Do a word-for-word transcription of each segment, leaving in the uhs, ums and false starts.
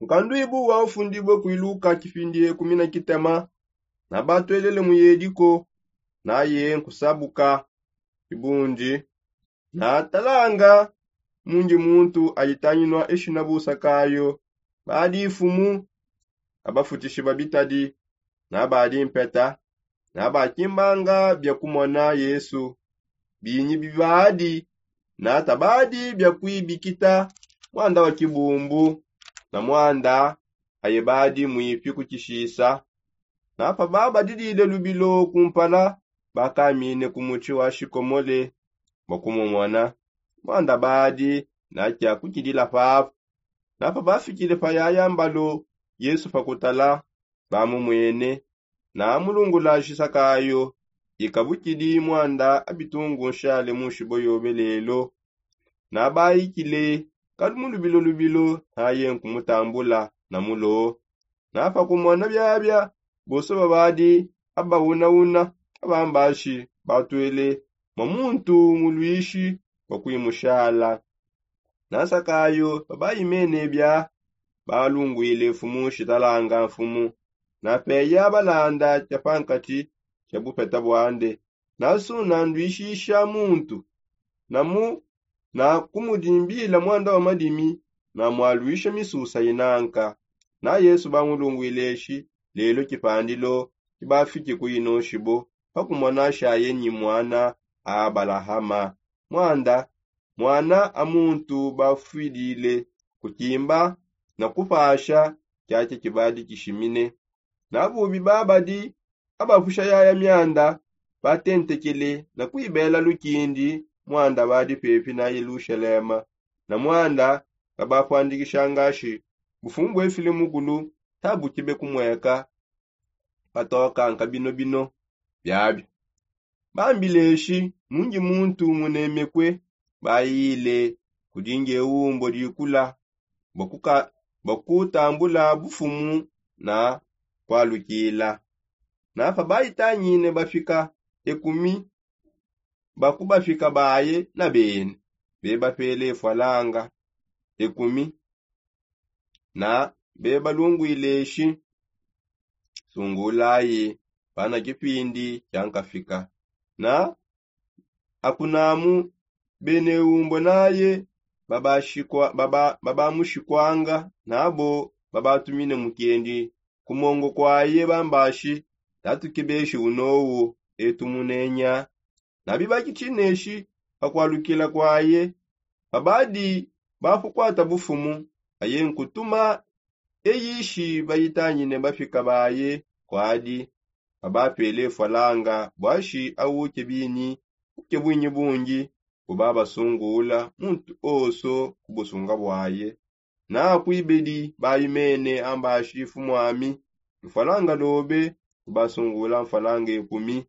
Nkanduibu wa ufundibue kuiluka kipindi ekumi na kitema. Nabatwelele mu yediko naye nkusabuka kibundi. Natalanga mundi muntu ayitanginua eshina busakayo. Badi ifumu abafutishi babitadi nabadi mpeta. Nabakimbanga bia kumona yesu binyi bibadi. Natabadi bia kuibikita muanda wa kibumbu na muanda aye badi muipi kukishisa. Napa babadidile lubilo kumpala bakamine ku mutshi wa shikomole bua kumumona. Muanda badi nakia kukidila papu. Napa bafikile pa yaya mbalo yesu pa kutala bamumwene. Namulungulashi sakayo ikabukidi muanda abitungu nshale mushibo yobe lelo. Nabaikile kalu mu lubilo lubilo naye nkumutambula na mulo. Napa kumona biabia bonso babadi abauna-una abambashi batwele mua muntu muluishi bua kuimushala. Nasakayo babaimene bia balunguile mfumu shitalanga mfumu. Napeya balanda tshia pankatshi tshia bupeta buande. Nasuna nduishisha muntu namu na kumudimbila muanda wa madimi. Namualuisha misusa inanka. Na yesu bamulunguileshi lelo kipandilo kibafiki kuinoshibo pakumona shaye nyi muana a abalahama. Muanda muana a muntu bafwidile kukimba na kupasha kiakia kibadi kishimine. Nabubi babadi abapusha yaya mianda batentekele na kuibela lukindi muanda badi pepi na yelushalema. Na muanda kabapuandikisha ngashi bufumu buefile mukulu tabukibe kumueka. Patoka nkabinobino biabio bambileshi mundi muntu munemekue. Bayile kudi ngeumbo dikula bua kutambula bufumu na kualukila. Napa baitangine bafika ekumi bakubafika baye na bene bebapele efwalanga ekumi. Na bebalunguileshi sungulayi pana kipindi kiankafika. Na akunamu bene umbo naye babamushikwanga nabo babatumine mukendi kumongo kwaye bambashi tatukebeshi unowu etu munenya. Nabibaki tshineshi pa kualukila kuaye. Pabadi bakukuata bufumu aye nkutuma eyishi bayitangine bafika baye kuadi. Pabapele fwalanga buashi awuke binyi uke bwinyi bungi kubabasungula muntu oso ku busunga buaye. Nakuibedi bayi mene ambashi fumu ami lufwalanga lobe kubasungula mfwalanga ekumi.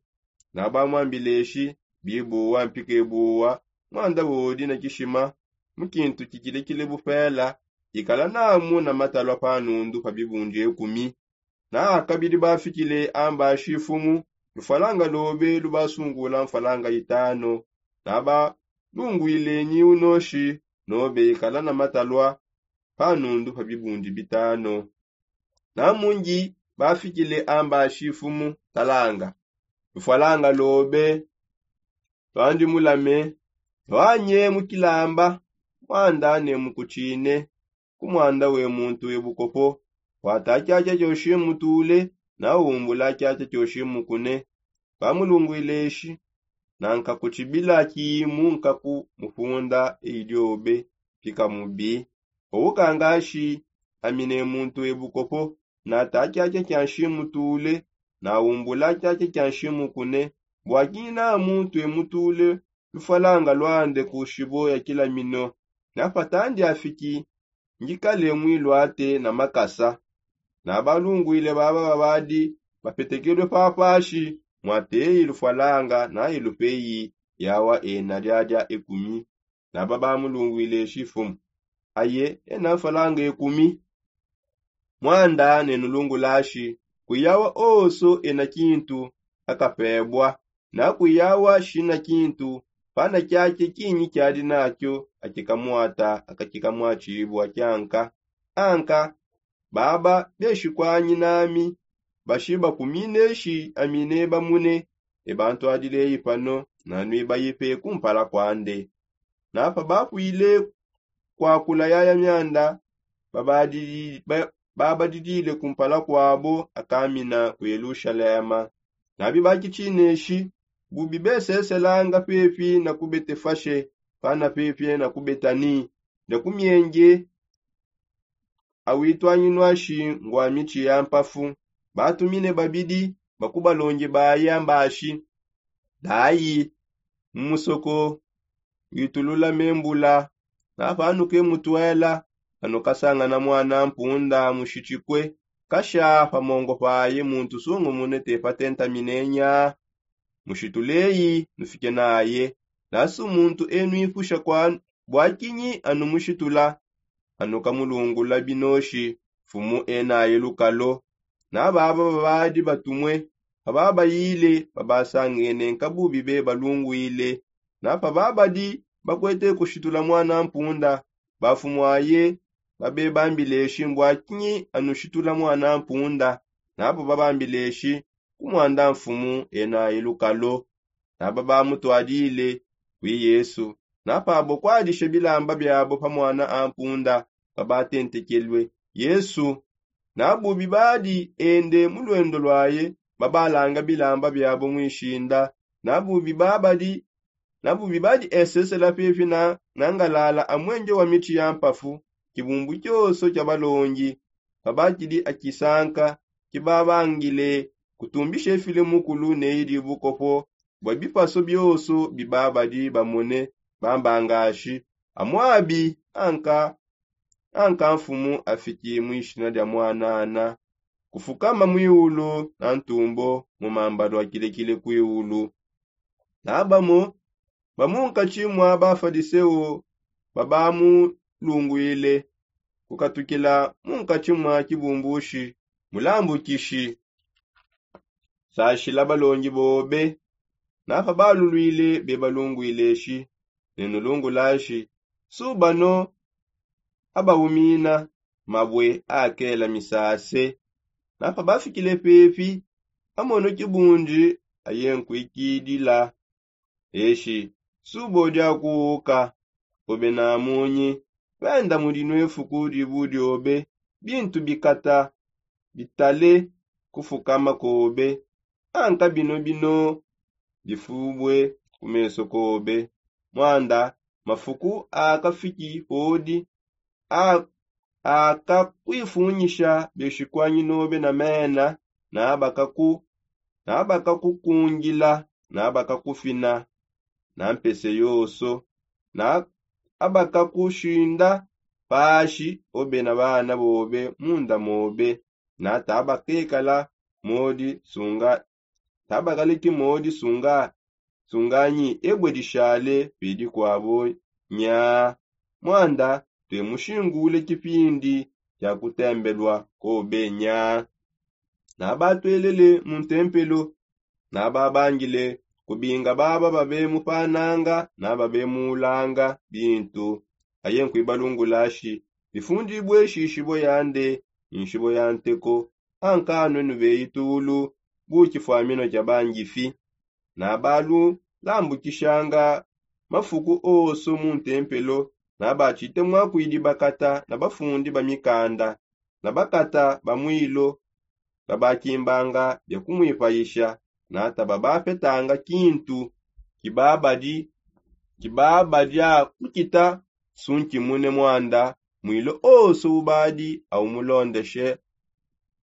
Nabamwambileshi bibuwa mpika ebuwa mwanda wodi na kishima mukintu kikilekile bupela ikala namu na matalwa pa nundu pa bibundi ekumi. Na kabidi bafikile ambashi fumu lufwalanga lobe lubasungula mfwalanga itano. Nabalungwile nyi unoshi nobe ikala na matalwa pa nundu pa bibundi bitano. Na mundi bafikile ambashi fumu talanga lufwalanga lobe twandi mulame twanye mukilamba mwanda ne mukutshine ku mwanda we muntu we bukopo. Wata kiakia kioshi mutule na umbula kiakia kioshi mukune. Bamulungwile eshi nanka kutshibila kimu nkaku mufunda eyi diobe mpika mubi. Owu kangashi amine muntu we bukopo nata kiakia kia nshi mutule na umbula kiakia kia nshi mukune bua kina muntu we mutule lufwalanga luande ku shibo ya kilamino. Napatandi afiki ngikale muiluate na makasa. Nabalungwile baba babadi bapetekelue papashi mwateyi lufwalanga nayi lupeyi yawa ena diadia ekumi. Naba bamulungwile shifumu aye ena mfwalanga ekumi. Mwanda nenulungulashi kuyawa oso ena kintu akapebwa na kuyawa shina kintu pana kiake kinyi kiadi nakio akikamuata akakikamua tshibua kianka. Anka baba beshikwanyi nami bashiba kumine shi amine bamune. Ebantu adileyi pano nanwibayipe kumpala kwande. Napa bapwile kwakula yaya myanda babadidile kumpala kwabo akamina ku yelushalema. Nabi bakichineshi bubi beseselanga pepi na ku betefashe pana pepi na ku betani, ne ku myenge awitwanyinwa shi ngwa mitshi ya mpafu. Batumine babidi bakubalongi baya mbashi dayi mu musoko witulula membula. Napanuke mutwela anukasangana mwana mpunda mushitshikwe kasha pamongo paye muntu sungumune tepatentamine nya mushituleyi nufike naye. Nasi muntu enwipusha kwa bwakinyi anumushitula anukamulungula binoshi mfumu enaye lukalo. Nababa babadi batumwe pababayile babasangene nkabubi bebalungwile. Napa babadi bakwete kushitula mwana mpunda bafumwaye babebambileshi mbwakinyi anushitula mwana mpunda. Nabo babambileshi kumwanda mfumu enaye lukalo. Naba bamutwadile kwi yesu. Napabo kwadishe bilamba byabo pa mwana ampunda babatentekelwe yesu. Nabubi badi ende mu lwendo lwaye babalanga bilamba byabo mwishinda. Nabubi babadi nabubi badi esesela pepi na ngalala amwenje wa mitshi ya mpafu. Kibumbu kyoso kya balongi babakidi akisanka kibabangile kutumbisha efile mukulu neyi dibukopo bwa bipaso byoso bibabadi bamone bambangashi amwabi anka anka mfumu afiki mu ishina dia mwanana kufukama mwiulu na ntumbo mu mamba lwa kilekile kwiulu. Nabamo bamunkatshi mwa bafadiseo babamulungwile kukatukila munkatshi mwa kibumbushi mulambukishi sashila balongi bobe. Napa balulwile bebalungwileshi nenulungulashi subano abawumina mabwe akela misase. Napa bafikile pepi amono kibundi ayenkwikidila eshi subodi akuuka obe na munyi benda mudi nwefuku dibu diobe bintu bikata bitale kufukama kobe. Anka bino bino bifubue ku meso kobe mwanda mafuku akafiki podi akakwifunyisha beshikwanyi nobe na mena nabakakukungila nabakakufina na mpese yoso na abakakushinda pashi obe na bana bobe munda mobe. Na tabakekala modi sunga tabakaliki modi sunga sunganyi ebwe dishale pidi kwabo nya mwanda twemushingule kipindi kya kutembelwa kobe nya. Nabatwelele mu ntempelo nababangile kubinga baba babemupananga nababemuulanga bintu. Aye nkwibalungulashi bifundibue shishibo yande nshibo ya nteko ankanwe nubeyi tulu bu kifwamino kya bangifi. Nabalulambukishanga mafuku oso mu ntempelo nabatshite mwakwidi bakata na bafundi ba mikanda na bakata ba mwilo babakimbanga bia kumwipayisha na tababapetanga kintu kibabadi kibabadya kukita sunkimune mwanda mwilo oso ubadi aumulondeshe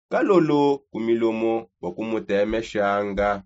kalolo ku milomo bua kumutemeshanga.